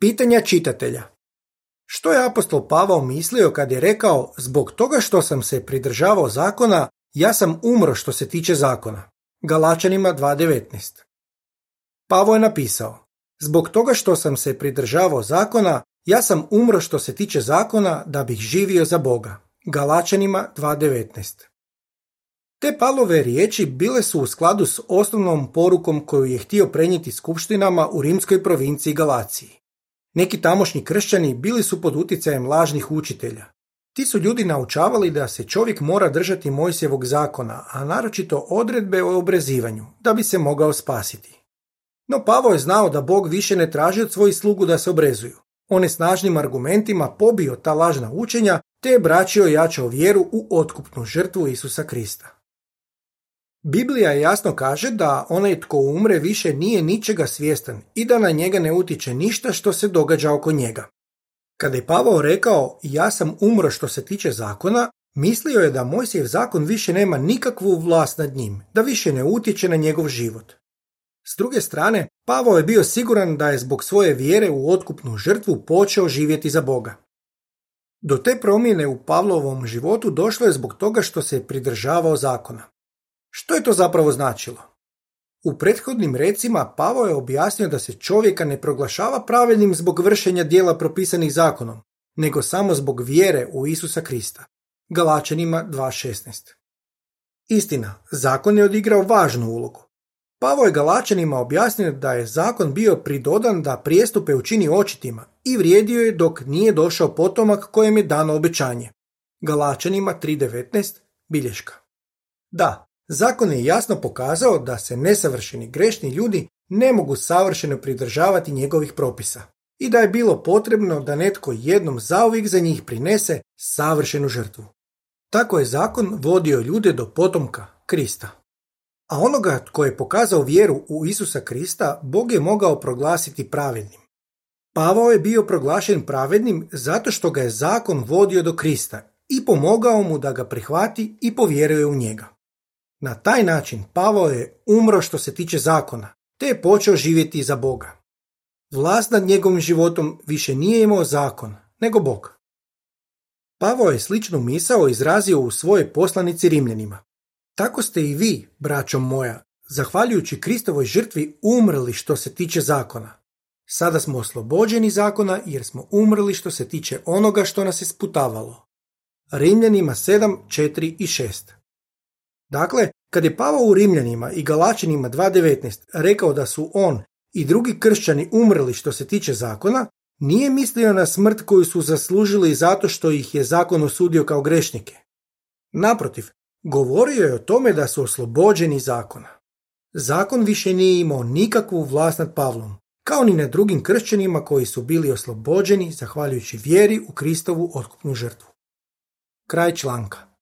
Pitanja čitatelja. Što je apostol Pavao mislio kad je rekao zbog toga što sam se pridržavao zakona, ja sam umro što se tiče zakona? Galačanima 2.19. Pavao je napisao, zbog toga što sam se pridržavao zakona, ja sam umro što se tiče zakona da bih živio za Boga. Galačanima 2.19. Te Pavlove riječi bile su u skladu s osnovnom porukom koju je htio prenijeti skupštinama u rimskoj provinciji Galaciji. Neki tamošnji kršćani bili su pod utjecajem lažnih učitelja. Ti su ljudi naučavali da se čovjek mora držati Mojsijevog zakona, a naročito odredbe o obrezivanju, da bi se mogao spasiti. No Pavao je znao da Bog više ne traži od svojih slugu da se obrezuju. On je snažnim argumentima pobio ta lažna učenja, te je braćio i jačao vjeru u otkupnu žrtvu Isusa Krista. Biblija jasno kaže da onaj tko umre više nije ničega svjestan i da na njega ne utječe ništa što se događa oko njega. Kada je Pavao rekao ja sam umro što se tiče zakona, mislio je da Mojsijev zakon više nema nikakvu vlast nad njim, da više ne utječe na njegov život. S druge strane, Pavao je bio siguran da je zbog svoje vjere u otkupnu žrtvu počeo živjeti za Boga. Do te promjene u Pavlovom životu došlo je zbog toga što se pridržavao zakona. Što je to zapravo značilo? U prethodnim recima Pavao je objasnio da se čovjeka ne proglašava pravednim zbog vršenja djela propisanih zakonom, nego samo zbog vjere u Isusa Krista. Galačanima 2.16. Istina, zakon je odigrao važnu ulogu. Pavao je Galačanima objasnio da je zakon bio pridodan da prijestupe učini očitima i vrijedio je dok nije došao potomak kojem je dano obećanje. Galačanima 3.19, bilješka. Da, zakon je jasno pokazao da se nesavršeni grešni ljudi ne mogu savršeno pridržavati njegovih propisa i da je bilo potrebno da netko jednom zauvijek za njih prinese savršenu žrtvu. Tako je zakon vodio ljude do potomka, Krista. A onoga tko je pokazao vjeru u Isusa Krista, Bog je mogao proglasiti pravednim. Pavao je bio proglašen pravednim zato što ga je zakon vodio do Krista i pomogao mu da ga prihvati i povjeruje u njega. Na taj način Pavao je umro što se tiče zakona, te je počeo živjeti za Boga. Vlast nad njegovim životom više nije imao zakon, nego Bog. Pavao je sličnu misao izrazio u svojoj poslanici Rimljanima. Tako ste i vi, braćo moja, zahvaljujući Kristovoj žrtvi umrli što se tiče zakona. Sada smo oslobođeni zakona jer smo umrli što se tiče onoga što nas je sputavalo. Rimljanima 7, 4 i 6. Dakle, kad je Pavao u Rimljanima i Galačanima 2.19 rekao da su on i drugi kršćani umrli što se tiče zakona, nije mislio na smrt koju su zaslužili zato što ih je zakon osudio kao grešnike. Naprotiv, govorio je o tome da su oslobođeni zakona. Zakon više nije imao nikakvu vlast nad Pavlom, kao ni nad drugim kršćanima koji su bili oslobođeni zahvaljujući vjeri u Kristovu otkupnu žrtvu. Kraj članka.